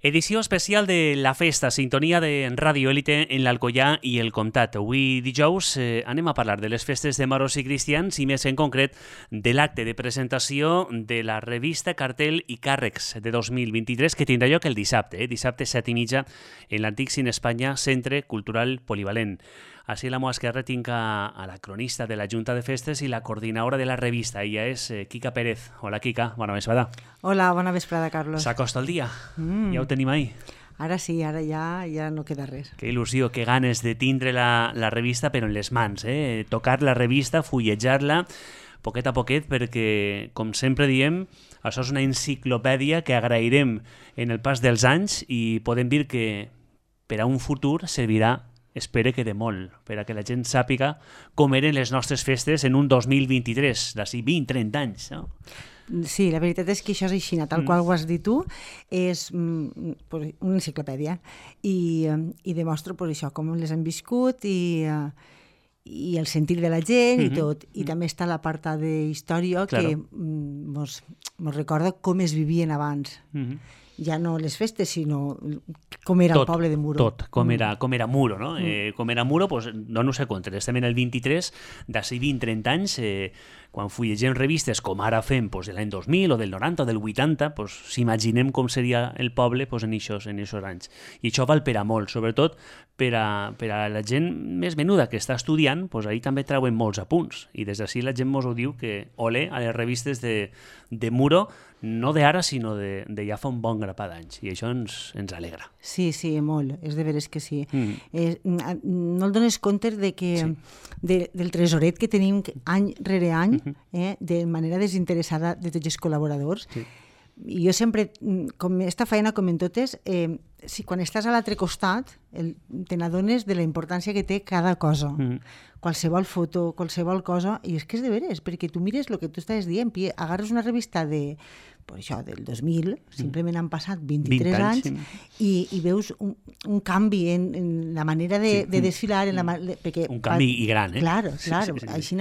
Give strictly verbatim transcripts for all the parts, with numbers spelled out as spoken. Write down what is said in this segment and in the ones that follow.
Edició especial de La Festa, sintonia de Ràdio Élite en l'Alcoià i el Comtat. Avui dijous eh, anem a parlar de les festes de moros i cristians i més en concret de l'acte de presentació de la revista Cartel i Càrrecs de dos mil vint-i-tres que tindrà lloc el dissabte, eh? dissabte set i mitja en l'antic Cine Espanya, Centre Cultural Polivalent. Així a la meva esquerra tinc a, a la cronista de la Junta de Festes i la coordinadora de la revista. Ella és eh, Quica Pérez. Hola, Quica. Bona vesprada. Hola, bona vesprada, Carlos. S'acosta el dia. Mm. Ja ho tenim ahí. Ara sí, ara ja, ja no queda res. Que il·lusió, que ganes de tindre la, la revista però en les mans, eh? Tocar la revista, fullejar-la, poquet a poquet, perquè, com sempre diem, això és una enciclopèdia que agrairem en el pas dels anys i podem dir que per a un futur servirà, espero que de molt, per a que la gent sàpiga com eren les nostres festes en un dos mil vint-i-tres, d'ací vint a trenta anys, no? Sí, la veritat és que això és així, tal qual ho has dit tu, és mm, pues, una enciclopèdia i, i demostra pues, això, com les han viscut i, i el sentir de la gent i tot. I també està l'apartat d'història que mm, mos, mos recorda com es vivien abans. Ja no les festes, sinó com era tot, el poble de Muro. Tot, com era, com era Muro, no? Mm. Eh, com era Muro, pues, no no sé compte. Estem en el vint-i-tres, d'ací vint a trenta anys, eh, quan fullegem revistes com ara fem pues, de l'any dos mil o del noranta o del vuitanta, pues, s'imaginem com seria el poble pues, en aquests en anys. I això val per a molt, sobretot per a, per a la gent més menuda que està estudiant, pues, ahí també trauen molts apunts. I des d'ací la gent mos ho diu que ole a les revistes de, de Muro, no d'ara, sinó de, de ja fa un bon grapat d'anys. I això ens, ens alegra. Sí, sí, molt. És de veres que sí. Mm. Eh, no et dones compte de que, sí. de, del tresoret que tenim any rere any, mm-hmm. eh, de manera desinteressada de tots els col·laboradors. Sí. I jo sempre, com esta feina com en totes, eh, si quan estàs a l'altre costat el, te n'adones de la importància que té cada cosa. Mm. Qualsevol foto, qualsevol cosa, i és que és de veres, perquè tu mires el que tu estàs dient, i agarres una revista de, pues això, del dos mil, simplement han passat vint-i-tres vint anys, sí. i, i veus un, un canvi en, en la manera de, sí. de desfilar. En la, perquè, un canvi i gran, eh? Claro, claro. Sí, sí, sí. Així,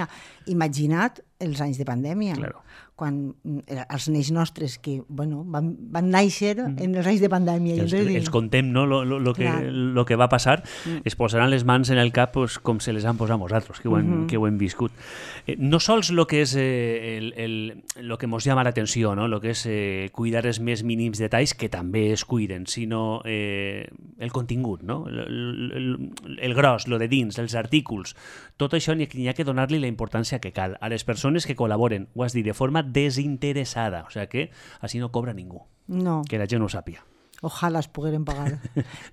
imagina't els anys de pandèmia. Claro. Quan els nens nostres que bueno, van, van néixer mm. en els anys de pandèmia. Els, els, els contem, no?, lo, lo, lo, que, lo que va passar, mm. es posaran les mans en el cap pues, com se les han posat nosaltres, que ho, hem, mm-hmm. que ho hem viscut. Eh, no sols lo que és eh, el, el, lo que ens llama l'atenció, no?, lo que és eh, cuidar els més mínims detalls, que també es cuiden, sinó eh, el contingut, no?, el, el, el gros, lo de dins, els artículs, tot això n'hi ha que donar-li la importància que cal a les persones que col·laboren, ho has dit, de forma desinteressada, o sigui que així no cobra ningú, no. que la gent ho sàpiga. Ojalà es pogueren pagar.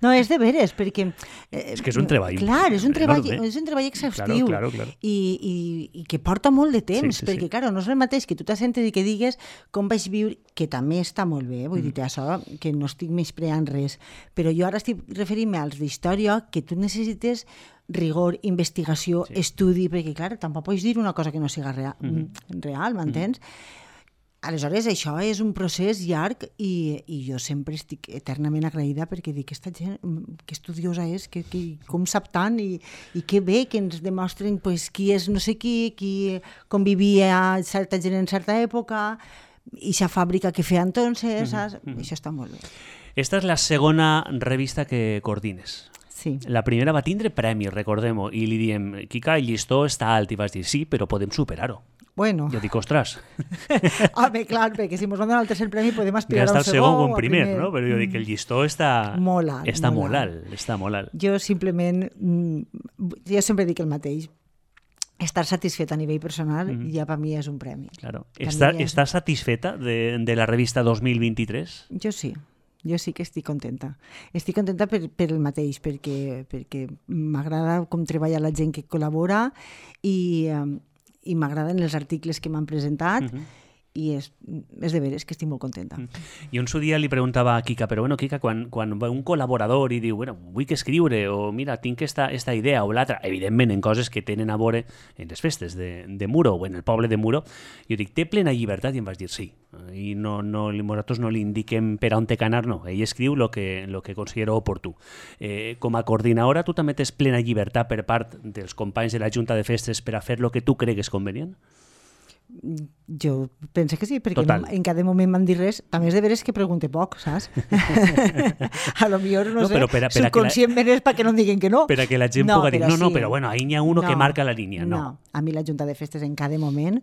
No, és de veres, perquè... Eh, és que és un treball. Clar, és un treball, és un treball exhaustiu. Claro, claro, claro. I, i, i que porta molt de temps, sí, sí, perquè, sí. Claro, no és el mateix que tu t'assentes i que digues com vaig viure, que també està molt bé, vull mm. dir això, que no estic menyspreant res, però jo ara estic referint-me als d'història, que tu necessites rigor, investigació, sí. estudi, perquè, clar, tampoc pots dir una cosa que no siga real, mm-hmm. real, m'entens? Mm-hmm. Aleshores, això és un procés llarg i, i jo sempre estic eternament agraïda perquè dic, aquesta gent, que estudiosa és, que, que, com sap tant i, i que bé que ens demostren pues, qui és no sé qui, qui convivia certa gent en certa època, i aquesta fàbrica que feia entonces, saps? Mm-hmm. Això està molt bé. Esta és la segona revista que coordines. Sí. La primera va tindre premi, recordem-ho, i li diem, Quica, el llistó està alt, i vas dir, sí, però podem superar-ho. Bueno. Jo dic, ostres. Home, clar, perquè si ens van donar el tercer premi podem aspirar ja a un segon o un primer, primer, no? Però jo dic que el llistó està molt alt. Està molt, molt alt. alt. Està molt alt. Jo simplement, jo sempre dic el mateix, estar satisfeta a nivell personal mm-hmm. ja per mi és un premi. Claro. Està, és... Estàs satisfeta de, de la revista dos mil vint-i-tres? Jo sí. Jo sí que estic contenta. Estic contenta per, per el mateix, perquè, perquè m'agrada com treballa la gent que col·labora i, i m'agraden els articles que m'han presentat uh-huh. i és, és de veres que estic molt contenta. Uh-huh. I un dia li preguntava a Quica, però bueno, Quica, quan, quan un col·laborador i diu, bueno, vull que escriure, o mira, tinc esta, esta idea o l'altra, evidentment en coses que tenen a veure en les festes de, de Muro o en el poble de Muro, jo dic, té plena llibertat? I em vas dir sí. I no, no, nosaltres no li indiquem per on té que anar, no. Ell escriu el que, lo que considera oportú. Eh, com a coordinadora, tu també tens plena llibertat per part dels companys de la Junta de Festes per a fer el que tu cregues convenient? Jo penso que sí, perquè Total. no, en cada moment m'han dit res. També és de veres que pregunte poc, saps? A lo millor, no, No, sé, però per a- per a que la- subconscientment és perquè no em diguen que no. Per a que la gent No, puga dir, però no, no, sí. però bueno, ahí n'hi ha uno No, que marca la línia. No. No, a mi la Junta de Festes en cada moment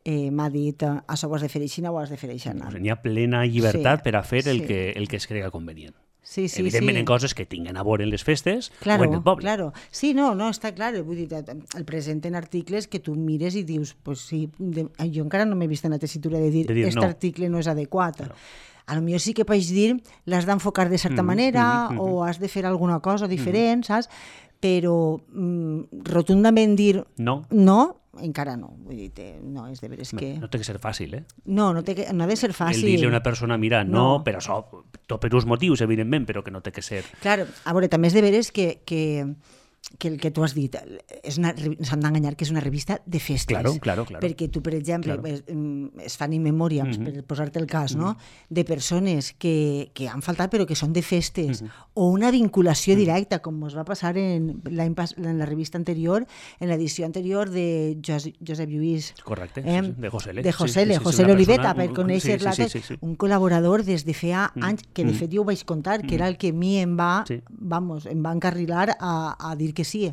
eh, m'ha dit eh, això ho has de fer així, ho has de fer així. Pues n'hi ha plena llibertat Sí, per a fer el, sí. que, el que es crega convenient. Sí, sí, Evidentment sí. en coses que tinguen a veure en les festes Claro, o en el poble. claro. Sí, no, no, està clar. Vull dir, el presenten articles que tu mires i dius, pues sí, de, jo encara no m'he vist en la tessitura de dir, De dir aquest no. article no és adequat. Claro. A lo millor sí que pots dir, l'has d'enfocar de certa Mm, manera mm, mm, o has de fer alguna cosa diferent, saps? Però mm, rotundament dir No. no, encara no. Vull dir, te- no, és de veres que... No té que ser fàcil, eh? No, no, té que, no ha de ser fàcil. El dir-li a una persona, mira, no, No. per això, tot per uns motius, evidentment, però que no té que ser... Clar, a veure, també és de veres que, que, que el que tu has dit, és una, revi- s'han d'enganyar que és una revista de festes. Claro, claro, claro. Perquè tu, per exemple, Claro. es, mm, es fan in memoriams, Mhm. per posar-te el cas, no? De persones que, que han faltat però que són de festes, Mhm. o una vinculació directa, com ens va passar en, l'any pas- en la revista anterior, en l'edició anterior de Jos, Josep Lluís. Correcte, Eh? sí, sí, de José L. De Sí, José sí, L, sí, sí, José una L Oliveta, persona- per un- conèixer-la, sí, sí, sí, sí. un col·laborador des de feia Mm. anys, que de Mm. fet jo ho vaig contar, que era el que a mi em va, Sí. vamos, em va encarrilar a, a dir que sí.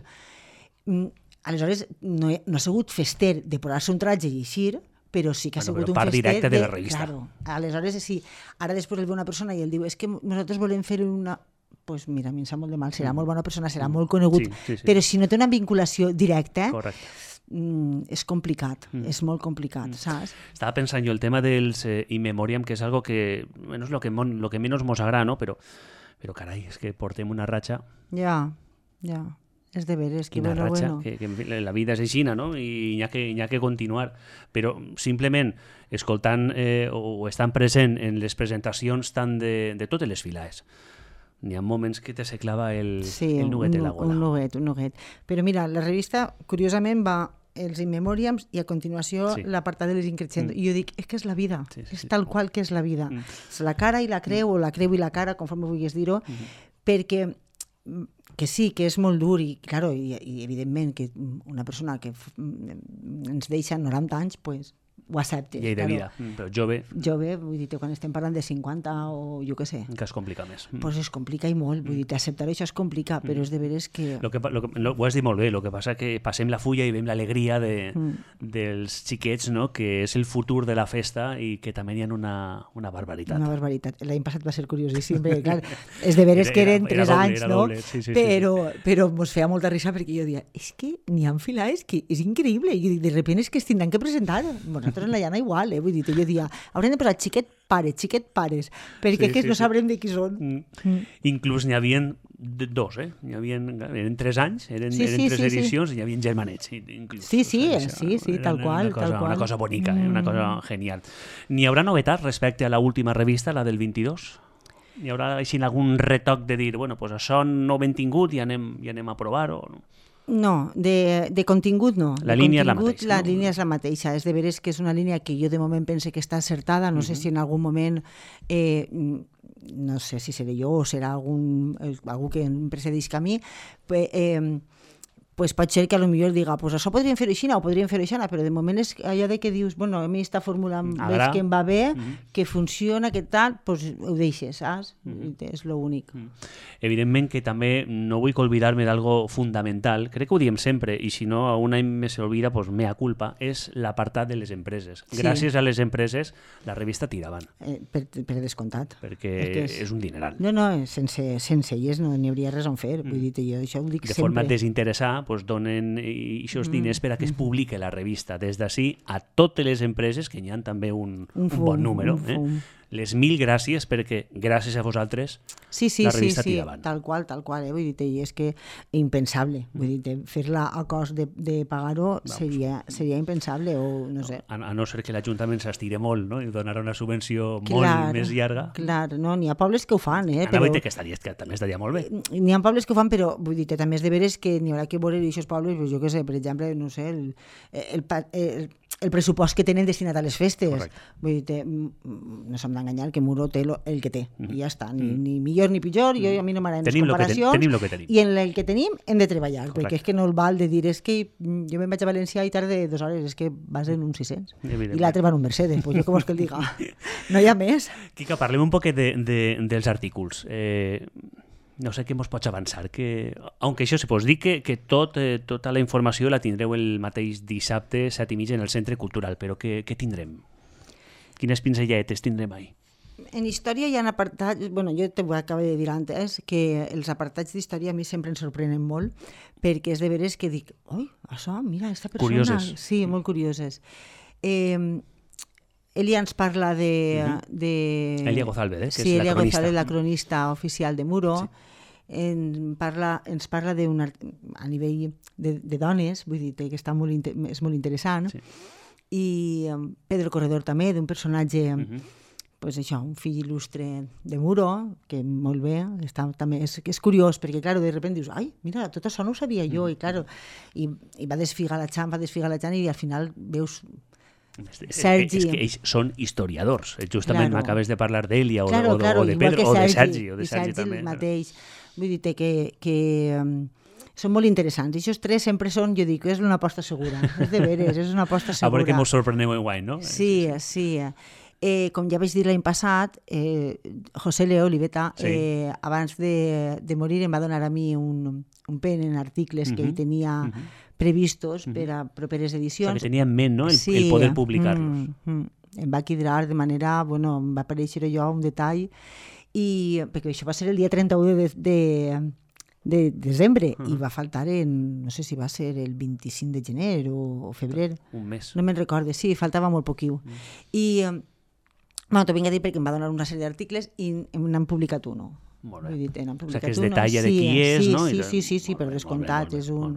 Mm, Aleshores, no, he, no ha sigut fester de posar-se un tratge i eixir, però sí que ha Bueno, sigut però un part fester directa de la revista. Claro. Aleshores, sí. Ara després el ve una persona i el diu és que nosaltres volem fer una... Pues mira, a mi em sap molt de mal, serà Mm. molt bona persona, serà molt conegut, Sí, sí, sí. però si no té una vinculació directa, Correcte. mm, és complicat, Mm. és molt complicat, saps? Estaba pensando yo el tema del eh, in memoriam, que es algo que, bueno, es lo que, mon- lo que menos nos agrada, ¿no? Pero, pero caray, es que portem una racha, Ja, ja. És de veres, que una bueno, racha, bueno. que, que en fi, la vida és aixina, no? I hi ha que, hi ha que continuar. Però simplement escoltant eh, o estant present en les presentacions tant de, de totes les filaes, n'hi ha moments que te se clava el, Sí, el nuguet un, en la nu- gola. un nuguet, un nuguet. Però mira, la revista, curiosament, va els in memoriams i a continuació Sí. l'apartat de les increixendo. Mm. I jo dic, és que és la vida, Sí, sí, és sí. tal qual que és la vida. Mm. És la cara i la creu, o la creu i la cara, conforme vulguis dir-ho, Mm-hmm. perquè mm, que sí, que és molt dur i, claro, i, i evidentment que una persona que f- mm, ens deixa noranta anys, pues, ho acceptes. Llei de claro. vida, mm, però jove Jove, vull dir, quan estem parlant de cinquanta o jo què sé, encara es complica més. Mm. pues es complica i molt, vull dir, acceptar això es complica, però és de veres que... Lo que, pa- lo que, lo, ho has dit molt bé, el que passa que passem la fulla i veiem l'alegria de, Mm. dels xiquets, no? Que és el futur de la festa i que també hi ha una, una barbaritat. Una barbaritat. L'any passat va ser curiosíssim, perquè clar, és de veres Era- que era- eren era tres doble, anys, era no? doble, sí, sí, sí, però, però mos feia molta risa perquè jo dia, és que n'hi ha filades que és increïble, i de repente és que es tindran que presentar. Nosaltres en la llana igual, eh? Vull dir, jo dia, haurem de posar xiquet pares, xiquet pares, perquè Sí, que sí, no sí. sabrem de qui són. Mm. Mm. Inclús n'hi havia dos, eh? N'hi havia, eren tres anys, eren, Sí, eren sí, tres sí, sí. edicions i hi havia germanets. i- Inclús, Sí, sí, o eh, sí, sí, era tal una qual, cosa, tal qual. Una cosa bonica, eh? Una Mm. cosa genial. N'hi haurà novetats respecte a la última revista, la del vint-i-dos? Hi haurà així algun retoc de dir, bueno, pues això no ho hem tingut i anem, i anem a provar-ho? No? No, de, de contingut no. La de línia és la contingut, mateixa, La no? línia és la mateixa. És de veres que és una línia que jo de moment pense que està acertada. No sé si en algun moment, eh, no sé si seré jo o serà algun, eh, algú que em precedisca a mi, pues, eh, pues pot ser que a lo millor diga, pues això podríem fer així o podríem fer així, però de moment és allò de que dius, bueno, a mi aquesta fórmula em Agrada. veig que em va bé, Mhm. que funciona, que tal, pues ho deixes, saps? És l'únic. Evidentment que també no vull oblidar-me d'algo fundamental, crec que ho diem sempre, i si no a un any me s'olvida, pues mea culpa, és l'apartat de les empreses. Sí. Gràcies a les empreses, la revista tira avant, Eh, per, per descomptat. perquè És que és, és- és un dineral. No, no, sense, sense elles no n'hi hauria res on fer. Vull dir, jo això ho dic De sempre. forma desinteressada, pues, donen aquests diners per a que es publique la revista. Des d'ací a totes les empreses, que n'hi ha també un, Un un fum, bon número. un Eh? fum. Les mil gràcies, perquè gràcies a vosaltres Sí, sí, la sí, revista sí, tira avant. tal qual, tal qual. Eh? Vull dir, i és que impensable. Vull dir, fer-la a cost de, de pagar-ho seria, seria impensable o no sé. A, a no ser que l'Ajuntament s'estire molt, no? I donarà una subvenció Clar, molt més llarga. Clar, no, n'hi ha pobles que ho fan, eh? Anava a Però... dir que, estaria, que també estaria molt bé. N'hi ha pobles que ho fan, però vull dir, també és de veres que n'hi haurà que veure aquests pobles, pues, jo què sé, per exemple, no sé, el, el, pa- el, el pressupost que tenen destinat a les festes. Correcte. Vull dir, té, no s'hem d'enganyar, que Muro té lo, el que té, mm -hmm. i ja està, ni, mm. ni millor ni pitjor, jo, a mi no m'agraden les comparacions, tenim lo que tenim. I en el que tenim hem de treballar, Correcte. perquè és que no el val de dir, és que jo me'n vaig a València i tarde dues hores, és que vas en un sis-cents, i l'altre va en un Mercedes, pues jo com vols que el diga? No hi ha més. Quica, parlem un poquet de, de, dels artículs. Eh, no sé què mos pots avançar, que, aunque això se pos dir que, que tot, eh, tota la informació la tindreu el mateix dissabte, set i mitja, en el Centre Cultural, però què, què tindrem? Quines pinzelladetes tindrem ahí? En història hi ha apartats, bueno, jo t'ho acabo de dir antes, que els apartats d'història a mi sempre em sorprenen molt, perquè és de veres que dic, oi, això, mira, aquesta persona... Curioses. Sí, molt curioses. Eh, Elia ens parla de... Uh-huh. de... Elia Gozálvez, eh, que sí, és Elia la cronista. Gozálvez, la cronista oficial de Muro. Sí. En parla, ens parla d'un a nivell de, de dones, vull dir que està molt, és molt interessant. Sí. I um, Pedro Corredor també, d'un personatge... Uh-huh. Pues això, un fill il·lustre de Muro, que molt bé, està, també és, és curiós, perquè, clar, de sobte dius, ai, mira, tot això no ho sabia jo, i, clar, i, i va desfigar la Xan, va desfigar la Xan, i al final veus Sergi... És que ells són historiadors. Justament claro. m'acabes de parlar d'Elia o, claro, o, claro, o de Pedro, o de Sergi. O de i Sergi, Sergi també. el mateix. Vull dir que, que um, són molt interessants. I aquests tres sempre són, jo dic, és una aposta segura. És de veres, és una aposta segura. A veure que mos sorpreneu en guany, no? Sí, sí. Eh, com ja vaig dir l'any passat, eh, José Leo Oliveta, sí. eh, abans de, de morir, em va donar a mi un, un pen en articles uh-huh. que ell tenia uh-huh. previstos uh-huh. per a properes edicions. O sigui, que tenia en ment, no?, el, sí. el poder publicar-los. Mm, mm. Em va quedar de manera, bueno, em va aparèixer jo un detall, i, perquè això va ser el dia trenta-u de, de, de desembre, uh-huh. i va faltar en, no sé si va ser el vint-i-cinc de gener o, o febrer. Un mes. No me'n recorde, sí, faltava molt poquiu. Uh-huh. I... Bueno, t'ho vinc a dir perquè em va donar una sèrie d'articles i n'han publicat uno. Molt bé. Vull dir, n'han publicat o sigui, que es uno. detalla sí, de qui és, sí, no? Sí, I sí, sí, sí, per descomptat. És un,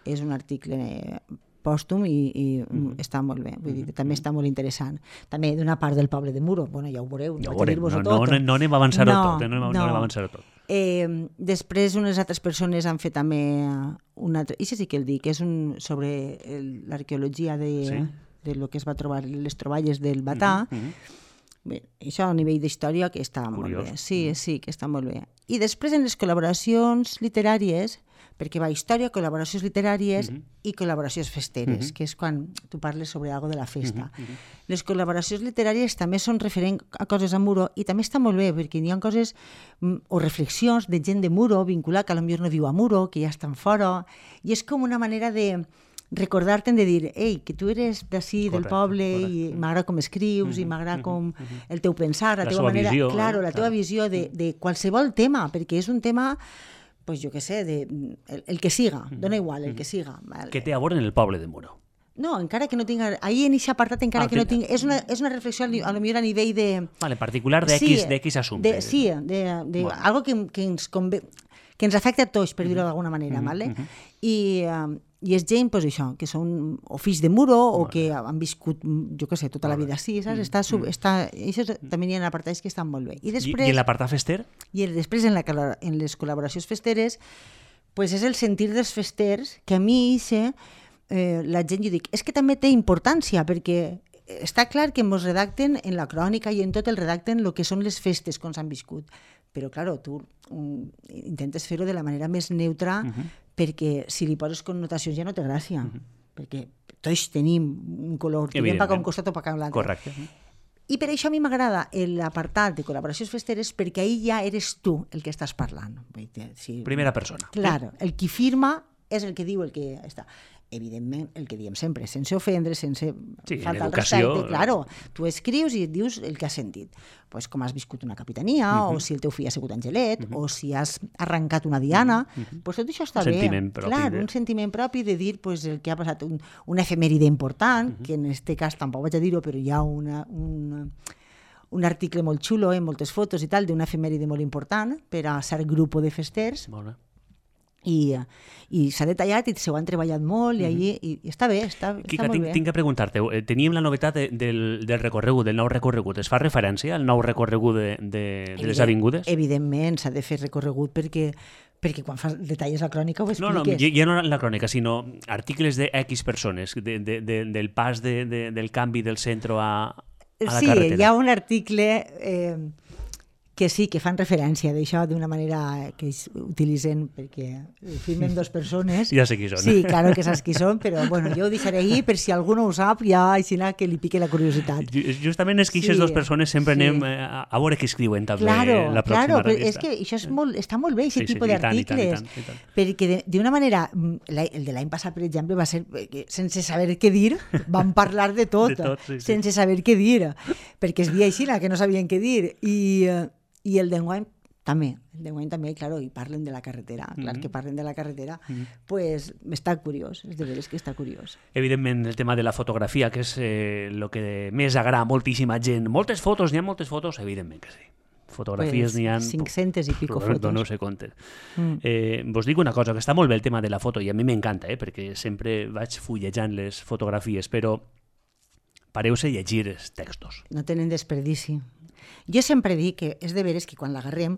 és un article pòstum i, i mm-hmm. està molt bé. Vull dir, que també està molt interessant. També d'una part del poble de Muro. Bueno, ja ho veureu. Ja ho veurem. No, no, no, no anem a avançar-ho no, tot. Eh? No, no, no anem a avançar-ho tot. Eh, després, unes altres persones han fet també un altre... I sí que el dic, és un, sobre l'arqueologia de, sí. de lo que es va trobar, les troballes del Batà. Mm-hmm. Bé, això a nivell d'història que està Curiós. Molt bé. Sí, sí, que està molt bé. I després en les col·laboracions literàries, perquè va història, col·laboracions literàries mm-hmm. i col·laboracions festeres, mm-hmm. que és quan tu parles sobre algo de la festa. Mm-hmm. Les col·laboracions literàries també són referent a coses a Muro i també està molt bé, perquè hi ha coses o reflexions de gent de Muro vinculat que potser no viu a Muro, que ja estan fora, i és com una manera de recordar-te'n de dir, ei, que tu eres d'ací, del poble, correcte. I m'agrada com escrius, mm-hmm, i m'agrada com mm-hmm. el teu pensar, la, la teva manera... Visió, claro, eh? la teva claro. visió de, de qualsevol tema, perquè és un tema, pues jo què sé, de, el, el que siga, mm-hmm. dona igual, el que siga. Que té a veure en el poble de Muro. No, encara que no tinga... Ahir en aquest apartat encara ah, que no tinga... És una, és una reflexió a lo millor a nivell de... Vale, particular de X, sí, de X assumpte. De, sí, de, de bueno. algo que, que, ens conve, que ens afecta a tots, per dir-ho d'alguna manera, mm-hmm. ¿vale? Mm-hmm. I... Um, I és gent, pues, això, que són o fills de Muro o que han viscut, jo què sé, tota la vida així, saps? Està, sub, està, això també hi ha apartats que estan molt bé. I, després, I, i en l'apartat fester? I després en, la, en les col·laboracions festeres, pues és el sentir dels festers, que a mi ixe, eh, la gent, jo dic, és que també té importància, perquè està clar que ens redacten en la crònica i en tot el redacten el que són les festes com s'han viscut. Però, clar, tu um, intentes fer-ho de la manera més neutra, uh-huh. perquè si li poses connotacions ja no té gràcia, uh-huh. perquè tots tenim un color, tirem pa un costat o pa un altre. Correcte. I per això a mi m'agrada l'apartat de col·laboracions festeres, perquè ahir ja eres tu el que estàs parlant. Si... Primera persona. Clar, el qui firma és el que diu el que està... Evidentment, el que diem sempre, sense ofendre, sense sí, faltar al respecte, claro, tu escrius i et dius el que has sentit. Pues com has viscut una capitania, uh-huh. o si el teu fill ha sigut angelet, uh-huh. o si has arrencat una diana, uh-huh. pues tot això està un bé. Sentiment propi clar, de... un sentiment propi de dir pues, el que ha passat, un, una efemèride important, uh-huh. que en aquest cas tampoc vaig a dir-ho, però hi ha una, una, un article molt xulo, eh, moltes fotos i tal, d'una efemèride molt important per a cert grup de festers. Molt bé. I, i s'ha detallat i s'ho han treballat molt i, allí, i, i està bé, està, Quica, està molt tinc, bé. Tinc que preguntar-te, teníem la novetat de, del, del recorregut, del nou recorregut. Es fa referència al nou recorregut de, de, de les avingudes? Evidentment, s'ha de fer recorregut perquè perquè quan fas detalles la crònica ho No, no, expliques. ja no la crònica, sinó articles de X persones, de, de, de, del pas de, de, del canvi del centre a, a la sí, carretera. hi ha un article eh, que sí, que fan referència d'això d'una manera que ells utilitzen perquè firmen dos persones. Ja sé qui són. Sí, claro que saps qui són, però bueno, jo ho deixaré ahí per si algú no ho sap, ja així que li pique la curiositat. Justament és que aquestes Sí, dues persones sempre sí. anem a, a veure què escriuen també Claro, la pròxima claro, però revista. és que això és molt, està molt bé, aquest Sí, sí, tipus i tant, i tant, i d'articles, tant, i tant. perquè de- d'una manera, mm, la- el de l'any passat, per exemple, va ser que, sense saber què dir, vam parlar de tot, De tot, sí, sí. sense saber què dir, perquè es dia així, que no sabien què dir, i, eh, i el d'enguany també, el d'enguany també, claro, i parlen de la carretera, clar Mm-hmm. que parlen de la carretera, pues està curiós, és de veres que està curiós. Evidentment, el tema de la fotografia, que és el eh, que més agrada a moltíssima gent. Moltes fotos, n'hi ha moltes fotos? Evidentment que sí. Fotografies Pues, n'hi ha... cinc-centes i pico Roberto, fotos. no sé comptes. Mm. Eh, vos dic una cosa, que està molt bé el tema de la foto, i a mi m'encanta, eh, perquè sempre vaig fullejant les fotografies, però pareu-se llegir els textos. No tenen desperdici. Jo sempre dic que és de veres que quan l'agarrem,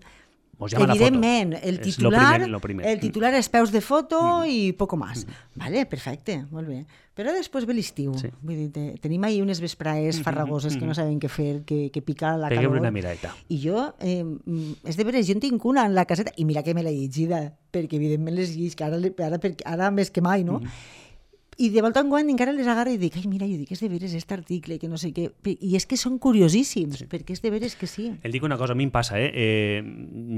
Mos llama la foto. evidentment, el És lo titular, primer, lo primer. el titular és peus de foto i poco más. Vale, perfecte, molt bé. Però després ve l'estiu. Sí. Vull dir, te- tenim ahí unes vespraes farragoses que no saben què fer, que, que pica la Pegueu calor. una miradeta. I jo, eh, mm, és de veres, jo en tinc una en la caseta, i mira que me l'he llegida, perquè evidentment les llegis, que ara, le- ara, per- ara més que mai, no? I de volta en quan encara les agarro i dic, ai, mira, jo dic, és de veres aquest article, que no sé què... I és que són curiosíssims, perquè és de veres que sí. El dic una cosa, a mi em passa, eh? eh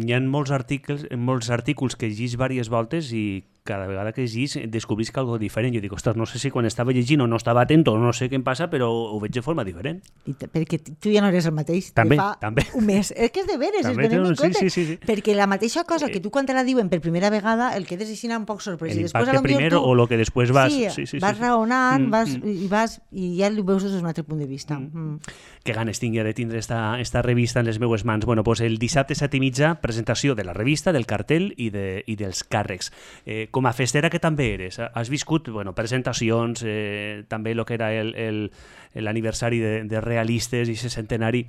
hi ha molts articles, molts articles que llegís diverses voltes i cada vegada que llegís descobrisc algo diferent. Jo dic, ostres, no sé si quan estava llegint o no estava atent o no sé què em passa, però ho veig de forma diferent. I t- perquè tu ja no eres el mateix També, que fa també. un mes. És que és de veres, També, es donem no, en sí, compte. sí, sí, sí. Perquè la mateixa cosa que tu quan te la diuen per primera vegada, el quedes així un poc sorprès. I després, L'impacte a lo millor primer tu... o lo que després vas... Sí, sí, sí, vas sí. raonant, Mm, vas, mm. i, vas, i ja ho veus des d'un altre punt de vista. Mm. Que ganes tinc ja de tindre esta, esta revista en les meues mans. Bueno, pues el dissabte set i mitja, presentació de la revista, del cartell i, de, i dels càrrecs. Eh, com a festera que també eres, has viscut bueno, presentacions, eh, també el que era el, el, l'aniversari de, de Realistes i ese centenari.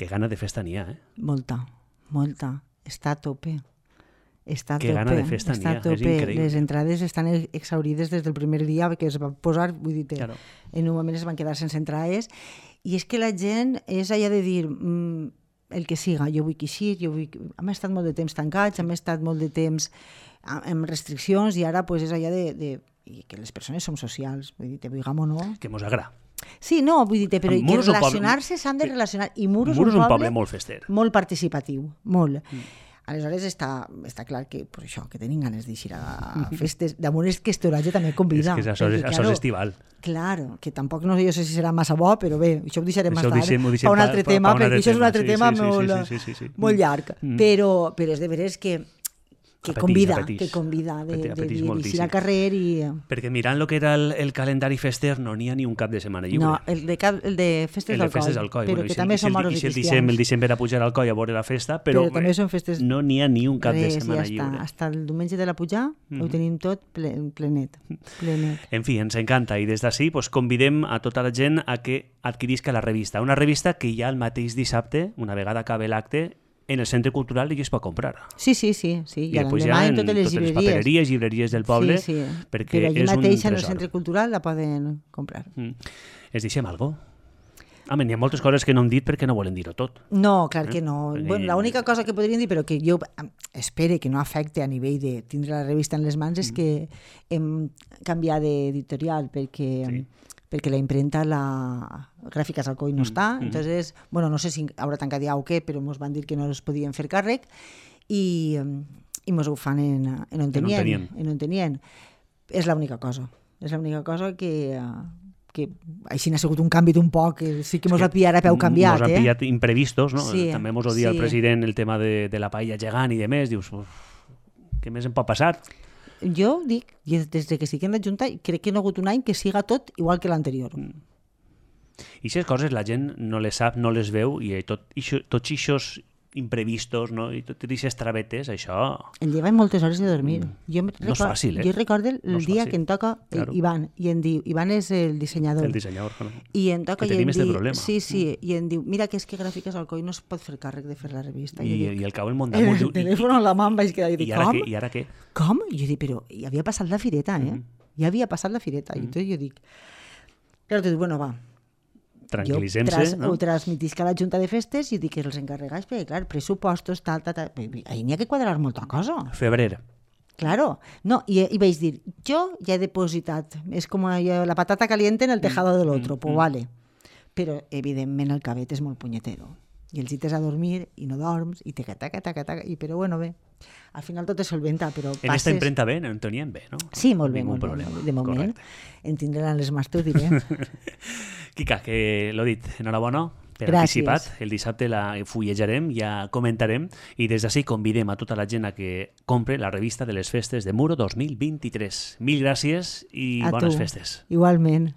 Que gana de festa n'hi ha, eh? Molta, molta. Està a tope. Està a Que tope. gana de festa està n'hi ha, a tope. és increïble. Les entrades estan exaurides des del primer dia que es va posar, vull dir, Claro. en un moment es van quedar sense entrades, i és que la gent és allà de dir mm, el que siga, jo vull que així, jo vull que... hem estat molt de temps tancats, hem estat molt de temps a- amb restriccions, i ara pues, és allà de, de i que les persones som socials, vull dir, te vulguem o no. Que mos agrada. Sí, no, vull dir, però que Muro és un poble- relacionar-se s'han de relacionar, i Muro és Muro un és un poble, poble molt fester. molt participatiu, molt. Mm. Aleshores està, està clar que per això que tenim ganes d'eixir a festes. Damunt és que este horatge també convida. És que això, és, perquè, això claro, és estival. Claro, que tampoc no sé jo sé si serà massa bo, però bé, això ho deixarem Això més ho tard deixem- ho deixem per un pa- altre pa- tema, pa un perquè altre això és un tema, altre sí, tema sí, sí, molt, sí, sí, sí, sí. molt llarg. Mm. Però, però és de veres que, que Apetís, convida, apetís. que convida de, Apetís, de apetís dir moltíssim. eixir al carrer i... Perquè mirant lo que era el, el calendari fester no n'hi ha ni un cap de setmana lliure. No, el de, cap, el de festes el de del festes coll, al coll. però Bueno, i que si el- també i si són el- moros i i si el cristians. dissem, el dissem per a pujar al coll a veure la festa, però, Però també són festes no n'hi ha ni un cap de Res, setmana ja està. lliure. Hasta el diumenge de la pujar ho tenim tot ple, plenet. plenet. En fi, ens encanta i des d'ací pues, convidem a tota la gent a que adquirisca la revista. Una revista que ja el mateix dissabte, una vegada acabe l'acte, en el Centre Cultural ja es pot comprar. Sí, sí, sí. sí. I I després l'endemà ja en totes les totes les llibreries. papereries, llibreries del poble, sí, sí. perquè Però allí és un mateix en el tresor. Centre Cultural la poden comprar. Mm. Es deixem algo? Home, n'hi ha moltes coses que no hem dit perquè no volen dir-ho tot. No, clar que no. Perquè- Bueno, l'única cosa que podríem dir, però que jo em, espere que no afecte a nivell de tindre la revista en les mans, és que hem canviat d'editorial perquè, Sí. perquè la imprenta, la Gràfiques Alcoi no està. Entonces, bueno, no sé si haurà tancat ja o què, però ens van dir que no es podien fer càrrec i, em, i mos ho fan en, en on tenien. tenien. En on tenien. És l'única cosa. És l'única cosa que... eh, que així n'ha sigut un canvi d'un poc, que sí que mos És va pillar a peu canviat, Mos han eh? pillat imprevistos, no? Sí, També mos ho dia sí. el president el tema de, de la paella gegant i de més. Dius, uf, què més em pot passar? Jo dic, i des de que estic en la Junta, crec que no ha hagut un any que siga tot igual que l'anterior. I aquestes coses la gent no les sap, no les veu, i tot, ixo, tots aquests imprevistos, no? I tot aquestes travetes, això... El lleva moltes hores de dormir. Jo no és fàcil, eh? Jo recordo el no dia fàcil. que em toca claro. Ivan, i em diu, Ivan és el dissenyador. El dissenyador, no? I em toca que i em tenim este diu, problema. sí, sí, mm. i em diu, mira que és que Gràfiques Alcoi no es pot fer càrrec de fer la revista. I, I, dic, i el cau el món damunt. El telèfon a la mà em vaig quedar i dic, I ara com? què? I ara què? Com? I jo dic, però ja havia passat la fireta, eh? Mm. Ja havia passat la fireta. Mm. I tot jo dic, claro, tu dic, bueno, va, tranquil·litzem-se, tras, no? Ho transmitisc a la Junta de Festes i dic que els encarregats, perquè, clar, pressupostos, tal, tal, tal... Ahí n'hi ha que quadrar molta cosa. Febrer. Claro. No, i, i vaig dir, jo ja he depositat, és com la patata caliente en el tejado de l'altre, mm, pues mm. vale. Però, evidentment, el cabet és molt punyetero. I els cites a dormir i no dorms, i taca, taca, taca, taca, i però bueno, bé. Al final tot es solventa, però passes... En esta imprenta bé, en tenien bé, no? Sí, molt bé, Ningú molt problema. bé. De moment, correcte. en tindran les mans, t'ho diré. Quica, que l'ho dit, enhorabona per Gràcies. anticipat. El dissabte la fullejarem, ja comentarem, i des d'ací convidem a tota la gent a que compre la revista de les festes de Muro dos mil vint-i-tres. Mil gràcies i A bones tu. festes. Igualment.